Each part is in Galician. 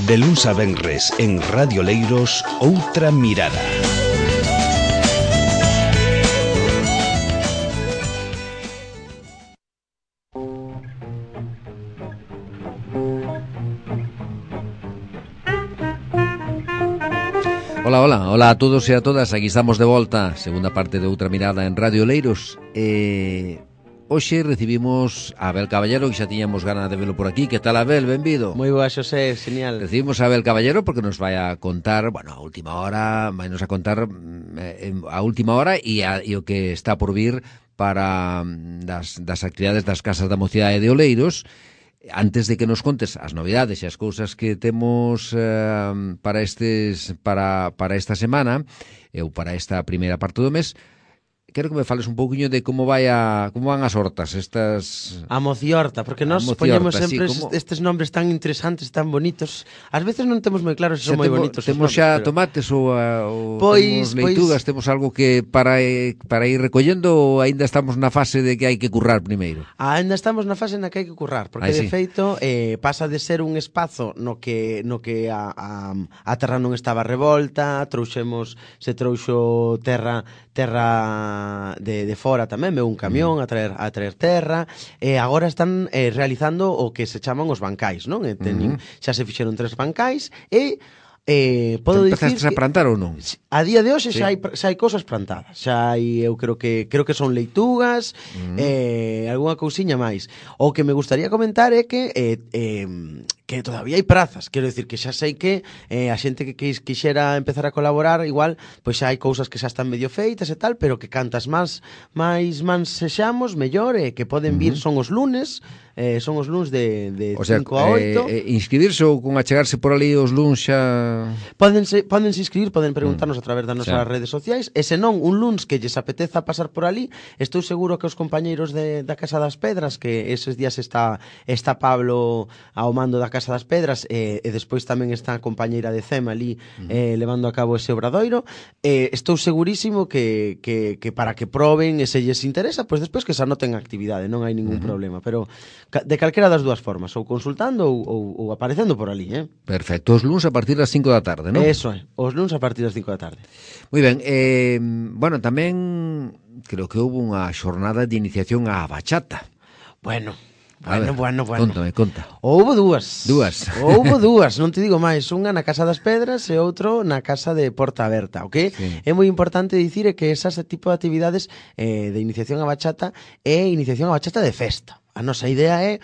De luns a venres en Radio Leiros, Outra Mirada. Hola a todos e a todas, aquí estamos de volta, segunda parte de Outra Mirada en Radio Leiros. Hoxe recibimos a Abel Caballero, que xa tiñamos gana de velo por aquí. Que tal, Abel? Benvido. Moi boa, Xosé, genial. Recibimos a Abel Caballero porque nos vai a contar, bueno, a última hora, vai nos a contar a última hora e o que está por vir para das actividades das Casas da Mocidade de Oleiros. Antes de que nos contes as novidades e as cousas que temos para esta semana ou para esta primeira parte do mes, quero que me fales un pouquiño de como van as hortas estas... A mociorta, porque nós poñemos sempre estes nombres tan interesantes, tan bonitos. Ás veces non temos moi claro se son moi bonitos. Temos xa tomates ou temos leitugas, temos algo que para ir recollendo, ou aínda estamos na fase de que hai que currar primeiro? Aínda estamos na fase na que hai que currar, porque de feito pasa de ser un espazo no que a terra non estaba revolta, se trouxo terra de fora tamén, veu un camión a traer terra, e agora están realizando o que se chaman os bancais, non? Xa se fixeron 3 bancais e podo dicir que... Empezaste a plantar ou non? A día de hoxe xa hai cousas plantadas. Xa hai, eu creo que son leitugas, algunha cousiña máis. O que me gustaría comentar é que todavía hai prazas. Quero dicir que xa sei que a xente que quixera empezar a colaborar, igual, pois xa hai cousas que xa están medio feitas e tal, pero que cantas máis mans sexamos, mellor, que poden vir son os lunes de 5 a 8. Inscribirse ou con achegarse por ali os luns xa... Pódense inscribir, poden preguntarnos a través das nosas redes sociais, e senón un luns que lles apeteza pasar por ali, estou seguro que os compañeiros da Casa das Pedras, que eses días está Pablo ao mando da Casa das Pedras, e despois tamén está a compañeira de CEM ali levando a cabo ese obradoiro, estou segurísimo que para que proben e se lles interesa, pois despois que se anoten a actividade, non hai ningún problema, pero de calquera das dúas formas, ou consultando ou aparecendo por ali, Perfecto, os luns a partir das 5 da tarde, non? Eso é, os luns a partir das 5 da tarde. Moi ben, bueno, tamén creo que houve unha xornada de iniciación á bachata. Bueno. Conta. Houbo dúas, non te digo máis. Unha na Casa das Pedras e outro na Casa de Porta Aberta. O que é moi importante dicir é que esas tipo de actividades de iniciación á bachata é iniciación á bachata de festa. A nosa idea é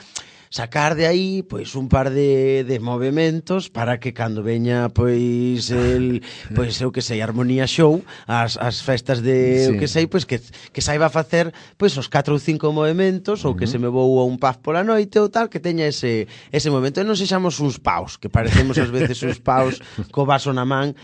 sacar de aí pois un par de movementos para que cando veña pois eu que sei, Armonía Show, as festas de eu que sei, pois que saiba facer pois os 4 ou 5 movementos, ou que se me vou a un pub pola noite ou tal, que teña ese movemento, e non sexamos uns paus, que parecemos ás veces uns paus co vaso na man,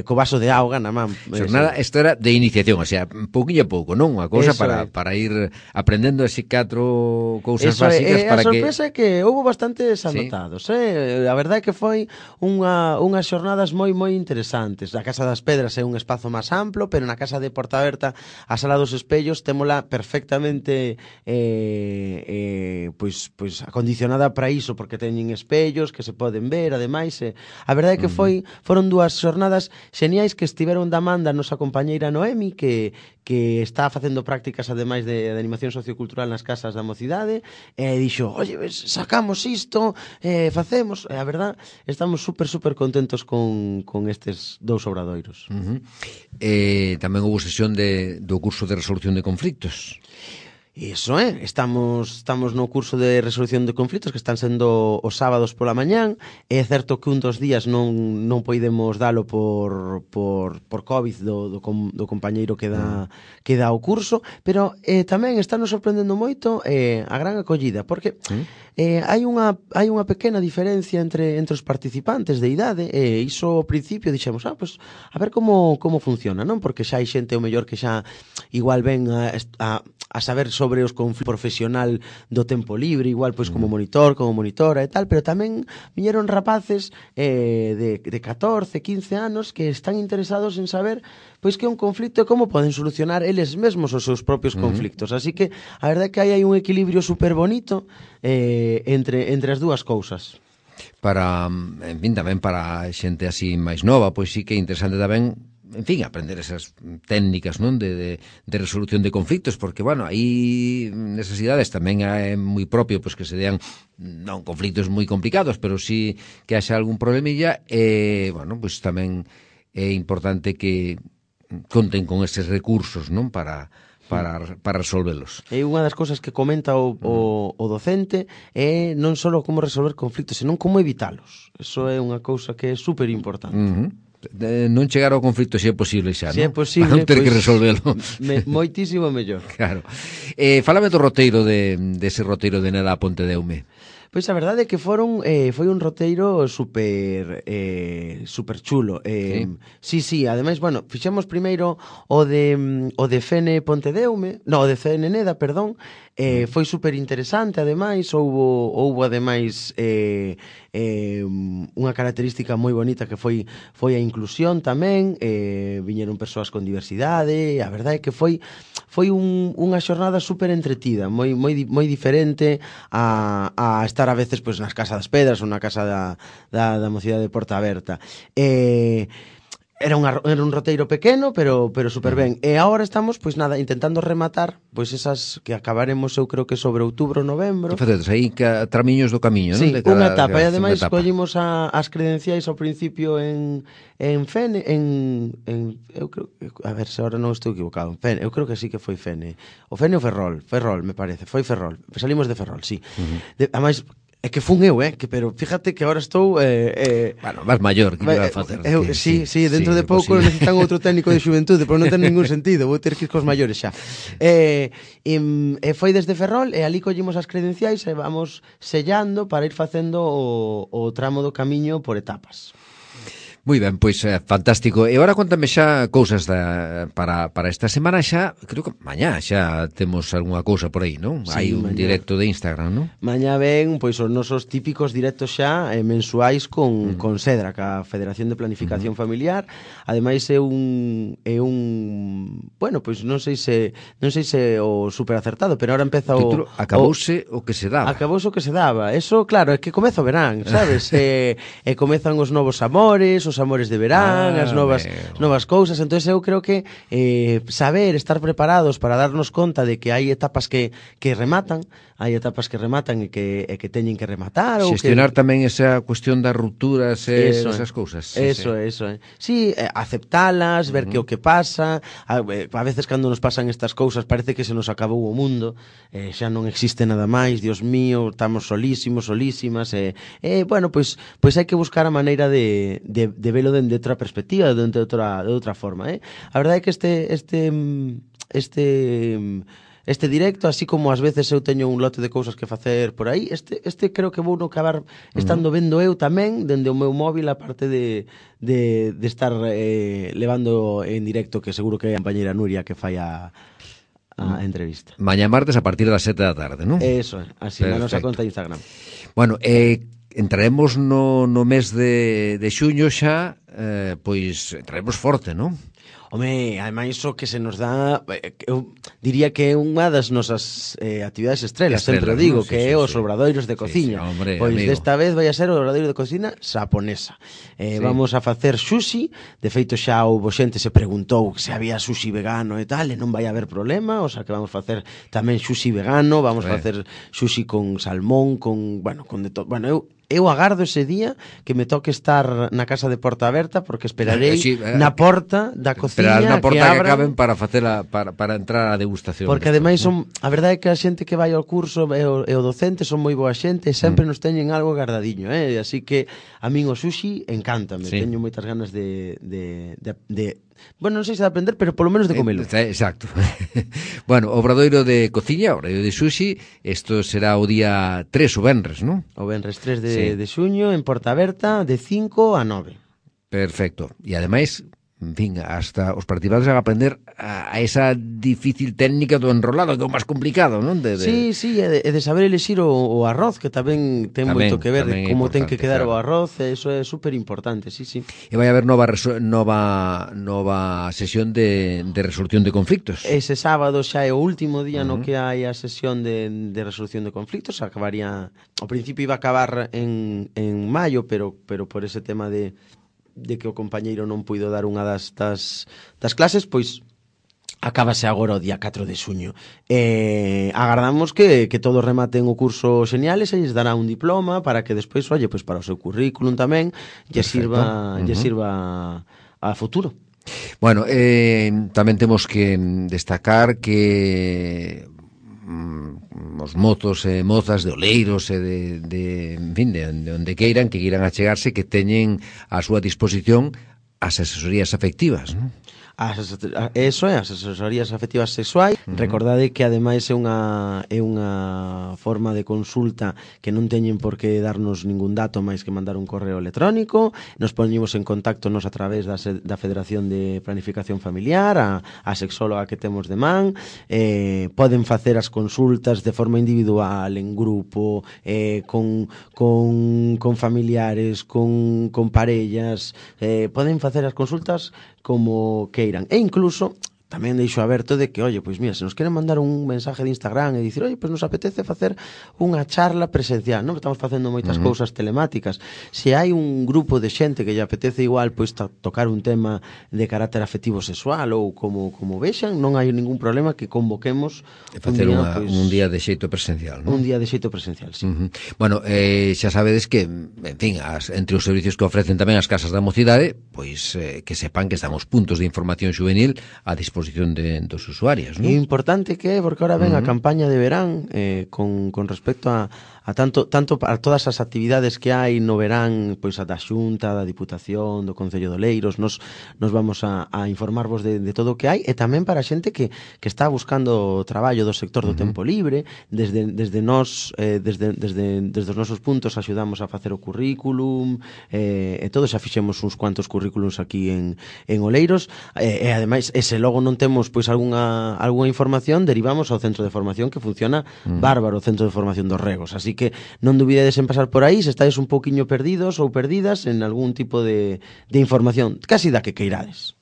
co vaso de auga na man. Xornada, isto era de iniciación, o sea, pouquinho a pouco, non? Unha cousa para ir aprendendo así 4 cousas básicas para que... que houve bastantes anotados, A verdade é que foi unhas xornadas moi interesantes. A Casa das Pedras é un espazo máis amplo, pero na Casa de Porta Aberta, a Sala dos Espellos, témola perfectamente pois acondicionada para iso, porque teñen espellos que se poden ver, ademais, a verdade é que foron 2 xornadas xeniais que estiveron da man da nosa compañeira Noemi, que está facendo prácticas ademais de animación sociocultural nas casas da mocidade, e dixo, oye, sacamos isto, facemos, a verdad, estamos super contentos con estes 2 obradoiros. Tamén houve sesión do curso de resolución de conflitos. Iso estamos no curso de resolución de conflitos que están sendo os sábados pola mañán. É certo que un dos días non poidemos dalo por COVID do compañeiro que dá o curso, pero tamén está nos sorprendendo moito a gran acollida, porque hai unha pequena diferencia entre os participantes de idade, e iso ao principio dixemos, pues a ver como funciona, non? Porque xa hai xente o mellor que xa igual ven a saber sobre os conflitos profesional do tempo libre, igual pois como monitor, como monitora e tal, pero tamén viñeron rapaces de 14, 15 anos que están interesados en saber pois que é un conflito e como poden solucionar eles mesmos os seus propios conflictos. Así que a verdade é que hai un equilibrio super bonito entre as dúas cousas. para, en fin, tamén para xente así máis nova, pois sí que é interesante tamén, en fin, aprender esas técnicas, non, de resolución de conflictos, porque, bueno, aí nesas idades tamén é moi propio pois que se dean non conflictos moi complicados, pero sí que haxa algún problemilla, bueno, pois tamén é importante que conten con eses recursos, non, para resolvelos. E unha das cousas que comenta o docente é non só como resolver conflitos, senón como evitalos. Eso é unha cousa que é super importante. Non chegar ao conflito se é posible xa, se non? é posible, para non ter pois, que resolvelo. Moitísimo mellor. Claro. Fálame do roteiro dese roteiro de Neda a Ponte Deume. Pois a verdade é que foi un roteiro super chulo. Sí, ademais, bueno, fixemos primeiro o de Fene Pontedeume, o de Fene Neda, perdón. Foi super interesante, ademais, houbo ademais unha característica moi bonita que foi a inclusión tamén, viñeron persoas con diversidade, a verdade é que foi unha xornada super entretida, moi diferente a estar a veces pois nas Casas das Pedras ou na casa da mocidade de Porta Aberta. Era un roteiro pequeno, pero super ben. E agora estamos, pois nada, intentando rematar pois esas que acabaremos, eu creo que sobre outubro, novembro. Que facedes aí tramiños do camiño, non? Sí, unha etapa. E ademais collimos as credenciais ao principio en Fene, eu creo, a ver se agora non estou equivocado, Fene, eu creo que sí que foi Fene. O Fene ou Ferrol, me parece, foi Ferrol. Salimos de Ferrol, sí. Ademais, é que fun eu, pero fíjate que agora estou... Bueno, vas maior, que vas a facer? Sí, dentro de pouco necesitan outro técnico de xuventude, pero non ten ningún sentido, vou ter que ir cos maiores xa. Foi desde Ferrol, e ali collimos as credenciais e vamos sellando para ir facendo o tramo do camiño por etapas. Moi ben, pois fantástico. E agora contame xa cousas para esta semana xa, creo que mañá xa temos algunha cousa por aí, non? Sí, hai un mañá. directo de Instagram, non? Mañá ven pois os nosos típicos directos xa mensuais con Sedra, ca Federación de Planificación Familiar. Ademais é un bueno, pois non sei se o super acertado, pero ahora empeza o título acabouse o que se daba. Acabouse o que se daba. Eso, claro, é que comeza o verán, sabes? E comezan os novos amores, os amores de verán, as novas cousas. Entón eu creo que saber, estar preparados para darnos conta de que hai etapas que rematan, e que teñen que rematar, ou xestionar tamén esa cuestión das rupturas e esas cousas. Eso. Sí, aceptalas, ver que o que pasa. A veces cando nos pasan estas cousas parece que se nos acabou o mundo, xa non existe nada máis, Dios mío, estamos solísimas, bueno, pois hai que buscar a maneira de velo dende outra perspectiva, dende outra forma, A verdade é que este directo, así como ás veces eu teño un lote de cousas que facer por aí, este creo que vou no acabar estando vendo eu tamén dende o meu móvil, a parte de estar levando en directo, que seguro que é a compañeira Nuria que fai a entrevista. Mañá martes a partir das 7 da tarde, non? Eso, así na nosa conta de Instagram. Bueno, entraremos no mes de xuño xa, pois entraremos forte, non? Home, ademais o que se nos dá, eu diría que é unha das nosas actividades estrelas, sempre digo, que é os obradoiros de cociña. Pois desta vez vai a ser o obradoiro de cocina xaponesa. Vamos a facer sushi, de feito xa houbo xente se preguntou se había sushi vegano e tal, e non vai haber problema, o sea que vamos facer tamén sushi vegano, vamos facer sushi con salmón, con de todo. Bueno, eu agardo ese día que me toque estar na casa de Porta Aberta, porque esperarei na porta da cociña que abran, acaben para facela para entrar á degustación. Porque ademais a verdade é que a xente que vai ao curso e o docente son moi boa xente e sempre nos teñen algo guardadiño, así que a min o sushi encántame, teño moitas ganas de bueno, non sei se de aprender, pero polo menos de comelo. Exacto. Bueno, obradoiro de cociña, obradoiro de sushi, isto será o día 3, o venres, non? O venres 3 de xuño, en Porta Aberta, de 5 a 9. Perfecto. E ademais, en fin, hasta os participantes van a aprender a esa difícil técnica do enrolado, que é o máis complicado, non? Sí, e de saber elixir o arroz, que tamén ten moito que ver de como ten que quedar o arroz, eso é super importante, sí. E vai haber nova sesión de resolución de conflictos. Ese sábado xa é o último día no que hai a sesión de resolución de conflictos, acabaría, ao principio iba a acabar en maio, pero por ese tema de que o compañeiro non puido dar unha das clases, pois acábase agora o día 4 de xuño. Agardamos que todos rematen o curso xenial e se lles dará un diploma para que despois, pois para o seu currículum tamén lle sirva a futuro. Bueno, tamén temos que destacar que os mozos e mozas de Oleiros e en fin, de onde queiran achegarse, que teñen a súa disposición as asesorías afectivas, non? Eso é, as asesorías afectivas sexuais. Recordade que ademais é unha forma de consulta que non teñen por que darnos ningún dato máis que mandar un correo electrónico. Nos poñemos en contacto nos a través da Federación de Planificación Familiar, a sexóloga que temos de man. Poden facer as consultas de forma individual, en grupo, con familiares, con parellas. Poden facer as consultas como queiran. E incluso tamén deixo aberto de que, pois mira, se nos queren mandar un mensaje de Instagram e dicir, pois nos apetece facer unha charla presencial, non? Estamos facendo moitas cousas telemáticas. Se hai un grupo de xente que lle apetece igual, pois tocar un tema de carácter afectivo sexual ou como vexan, non hai ningún problema que convoquemos facer un día de xeito presencial, non? Un día de xeito presencial, sí. Bueno, xa sabedes que, en fin, entre os servicios que ofrecen tamén as casas da mocidade, pois que sepan que estamos puntos de información juvenil a disposición dos usuarios, non? É importante que é, porque ahora ven a campaña de verán con respecto a tanto a todas as actividades que hai no verán, pois a da Xunta, da Diputación, do Concello de Oleiros, nos vamos a informarvos de todo o que hai, e tamén para a xente que está buscando traballo do sector do tempo libre. Desde nós, desde os nosos puntos axudamos a facer o currículum, e todos xa fixemos uns cuantos currículums aquí en Oleiros, e ademais, se logo non temos pois algunha información, derivamos ao centro de formación, que funciona bárbaro, o centro de formación dos Regos. Así que non dubidedes en pasar por aí se estáis un pouquiño perdidos ou perdidas en algún tipo de información, casi da que queirades.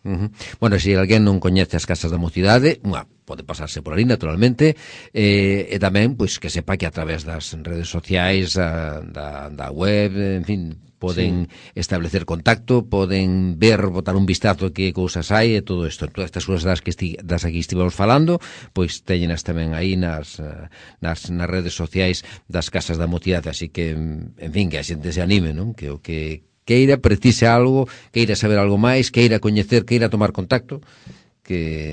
Bueno, se alguén non coñece as casas da mocidade, pode pasarse por ali, naturalmente, e tamén, pois, que sepa que a través das redes sociais, da web, en fin, poden establecer contacto, poden ver, botar un vistazo que cousas hai e todo isto. Todas estas cousas das aquí estivemos falando, pois teñenas tamén aí nas redes sociais das casas da mocidade, así que, en fin, que a xente se anime, non? Que o que queira, precise algo, queira saber algo máis, queira coñecer, queira tomar contacto,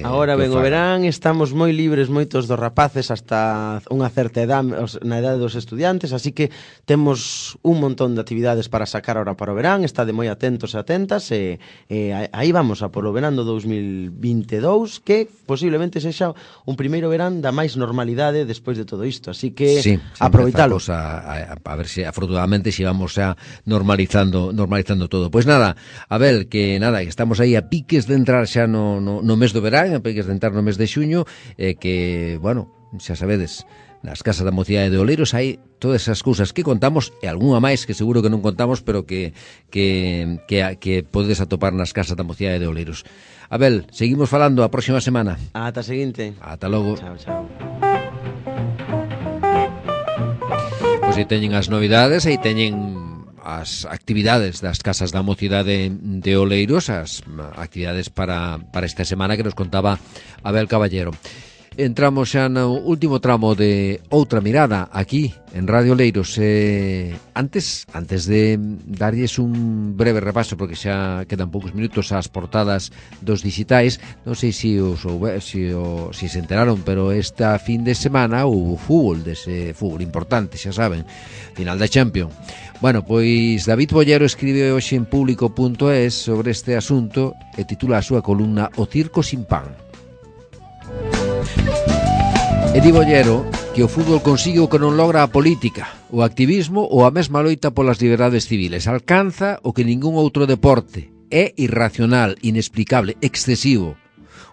agora ven o verán, estamos moi libres moitos dos rapaces hasta unha certa edade, na idade dos estudiantes, así que temos un montón de actividades para sacar ahora para o verán. Estade moi atentos e atentas, e aí vamos a polo verán do 2022, que posiblemente sexa un primeiro verán da máis normalidade despois de todo isto, así que aproveitalo. A ver se afortunadamente se vamos a normalizando todo. Pois nada, Abel, que estamos aí a piques de entrar xa no mes do verán, a piques de entrar no mes de xuño, que, bueno, xa sabedes, nas casas da mocidade de Oleiros hai todas esas cousas que contamos, e algunha máis que seguro que non contamos, pero que podes atopar nas casas da mocidade de Oleiros. Abel, seguimos falando a próxima semana. Ata a seguinte. Ata logo. Chao. Pois aí teñen as novidades, aí teñen as actividades das casas da mocidade de Oleiros, as actividades para esta semana que nos contaba Abel Caballero. Entramos xa no último tramo de Outra Mirada aquí en Radio Oleiros. Antes de darlles un breve repaso, porque xa quedan poucos minutos ás portadas dos digitais, non sei se se enteraron, pero esta fin de semana houve fútbol, dese fútbol importante, xa saben, final da Champions. Bueno, pois David Bollero escribe hoxe en público.es sobre este asunto e titula a súa columna O circo sin pan. E di Bollero que o fútbol consigue o que non logra a política, o activismo ou a mesma loita polas liberdades civiles. Alcanza o que ningún outro deporte, É irracional, inexplicable, excesivo.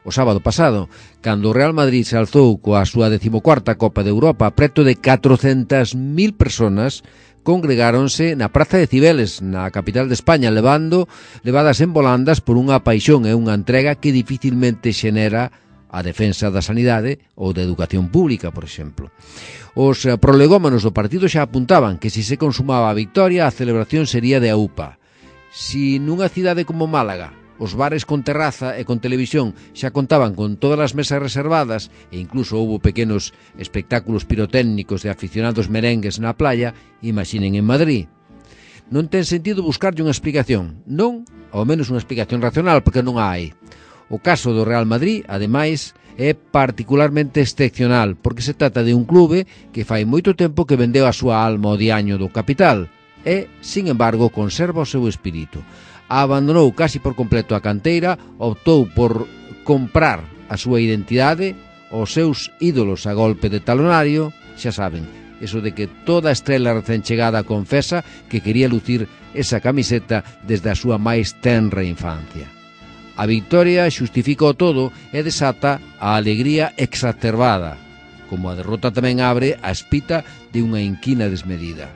O sábado pasado, cando o Real Madrid se alzou coa súa 14ª Copa de Europa, preto de 400.000 personas congregáronse na Praza de Cibeles, na capital de España, levadas en volandas por unha paixón e unha entrega que dificilmente xenera a defensa da sanidade ou da educación pública, por exemplo. Os prolegómanos do partido xa apuntaban que se consumaba a victoria, a celebración sería de aupa. Si nunha cidade como Málaga os bares con terraza e con televisión xa contaban con todas as mesas reservadas e incluso houbo pequenos espectáculos pirotécnicos de aficionados merengues na playa, imaginen en Madrid. Non ten sentido buscarlle unha explicación, non, ao menos unha explicación racional, porque non a hai. O caso do Real Madrid, ademais, é particularmente excepcional, porque se trata de un clube que fai moito tempo que vendeu a súa alma ao diaño do capital e, sin embargo, conserva o seu espírito. Abandonou casi por completo a canteira, optou por comprar a súa identidade, os seus ídolos a golpe de talonario, xa saben, eso de que toda estrela recén chegada confesa que quería lucir esa camiseta desde a súa máis tenra infancia. A victoria xustifica o todo e desata a alegría exacerbada, como a derrota tamén abre a espita de unha inquina desmedida.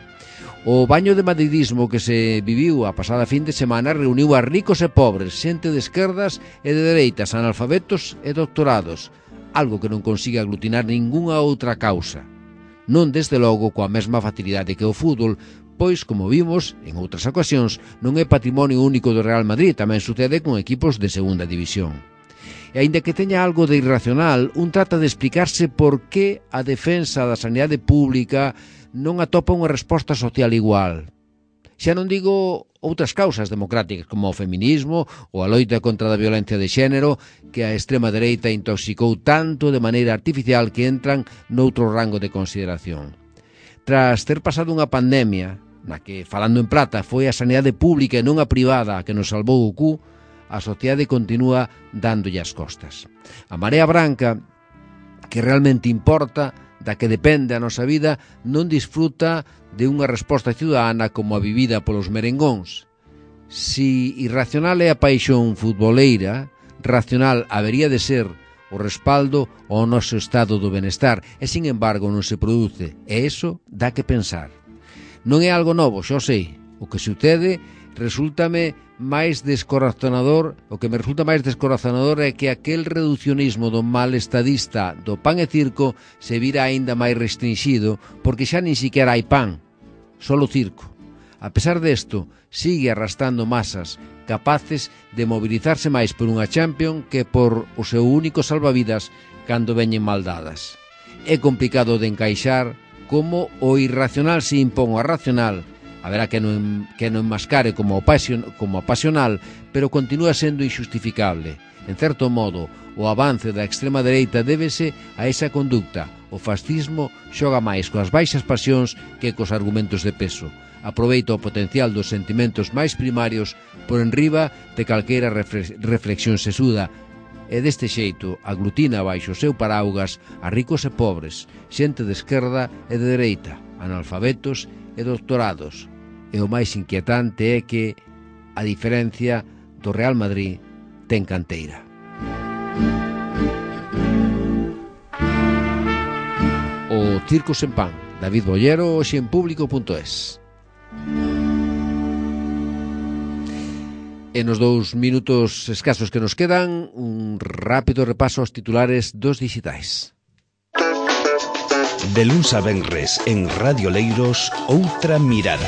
O baño de madridismo que se viviu a pasada fin de semana reuniu a ricos e pobres, xente de esquerdas e de dereitas, analfabetos e doctorados, algo que non consigue aglutinar ningunha outra causa. Non desde logo coa mesma facilidade que o fútbol, pois, como vimos en outras ocasións, non é patrimonio único do Real Madrid, tamén sucede con equipos de segunda división. E aínda que teña algo de irracional, un trata de explicarse por que a defensa da sanidade pública non atopa unha resposta social igual. Xa non digo outras causas democráticas como o feminismo ou a loita contra a violencia de xénero que a extrema dereita intoxicou tanto de maneira artificial que entran noutro rango de consideración. Tras ter pasado unha pandemia na que, falando en plata, foi a sanidade pública e non a privada a que nos salvou o cu, a sociedade continúa dándolle as costas. A Marea Branca, que realmente importa, da que depende a nosa vida, non disfruta de unha resposta ciudadana como a vivida polos merengóns. Si irracional é a paixón futboleira, racional habería de ser o respaldo ao noso estado do benestar, e, sin embargo, non se produce, e iso dá que pensar. Non é algo novo, xo sei. O que sucede resúltame máis descorazonador, o que me resulta máis descorazonador é que aquel reducionismo do mal estadista do pan e circo se vira aínda máis restringido porque xa nin siquiera hai pan, solo circo. A pesar desto, sigue arrastrando masas capaces de mobilizarse máis por unha Champions que por o seu único salvavidas cando veñen mal dadas. É complicado de encaixar como o irracional se impón ao racional. Haberá que non enmascare como pasional, pero continúa sendo injustificable. En certo modo, o avance da extrema dereita débese a esa conducta. O fascismo xoga máis coas baixas pasións que cos argumentos de peso. Aproveita o potencial dos sentimentos máis primarios por enriba de calquera reflexión sesuda, e deste xeito aglutina baixo o seu paraugas a ricos e pobres, xente de esquerda e de dereita, analfabetos e doctorados. E o máis inquietante é que, a diferencia do Real Madrid, ten canteira. O Circo sen pan, David Bollero, hoxe en Público.es. E nos 2 minutos escasos que nos quedan, un rápido repaso aos titulares dos dixitais. De luns a venres en Radio Leiros, outra mirada.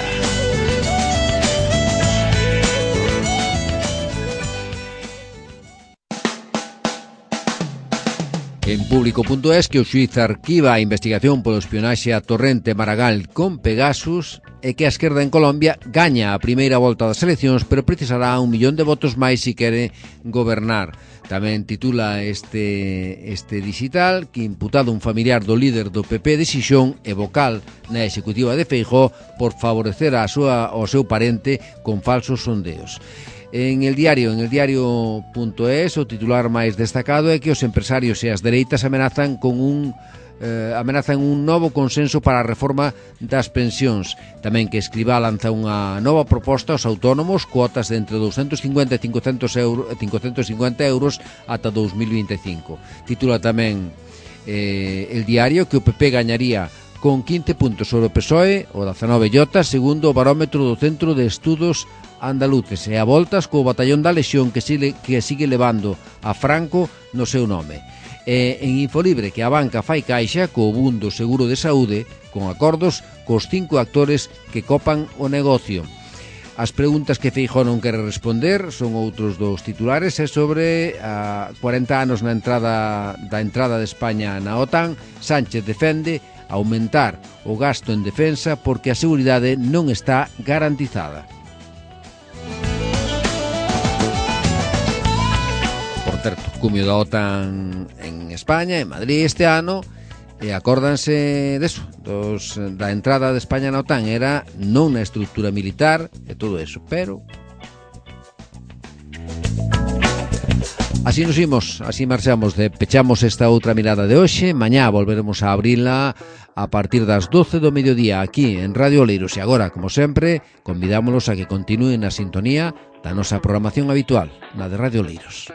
En Público.es que o xuíz arquiva a investigación polo espionaxe a Torrente Maragall con Pegasus e que a esquerda en Colombia gaña a primeira volta das eleccións, pero precisará 1 millón de votos máis se quere gobernar. Tamén titula este digital que imputado un familiar do líder do PP de Xixón e vocal na executiva de Feijóo por favorecer ao seu parente con falsos sondeos. En el diario.es o titular máis destacado é que os empresarios e as dereitas amenazan con un amenazan un novo consenso para a reforma das pensións. Tamén que Escrivá lanza unha nova proposta aos autónomos, cuotas de entre 250 e 550 euros ata 2025. Titula tamén El Diario que o PP gañaría con 15 puntos sobre o PSOE, o 19 Llota, segundo o barómetro do Centro de Estudos Andaluces, e a voltas co batallón da Lexión que sigue levando a Franco no seu nome. En Infolibre que a banca fai caixa co boom do seguro de saúde, con acordos cos 5 actores que copan o negocio. As preguntas que Feijóo non quere responder son outros dos titulares, é sobre 40 anos da entrada de España na OTAN. Sánchez defende aumentar o gasto en defensa porque a seguridade non está garantizada. Por certo, cumio da OTAN en España, en Madrid este ano, e acórdanse deso, da entrada de España na OTAN, era non na estrutura militar e todo eso, pero así nos imos, así marchamos, pechamos esta outra mirada de hoxe. Mañá volveremos a abrila a partir das 12 do mediodía aquí en Radio Oleiros, e agora, como sempre, convidámolos a que continúen na sintonía da nosa programación habitual, na de Radio Oleiros.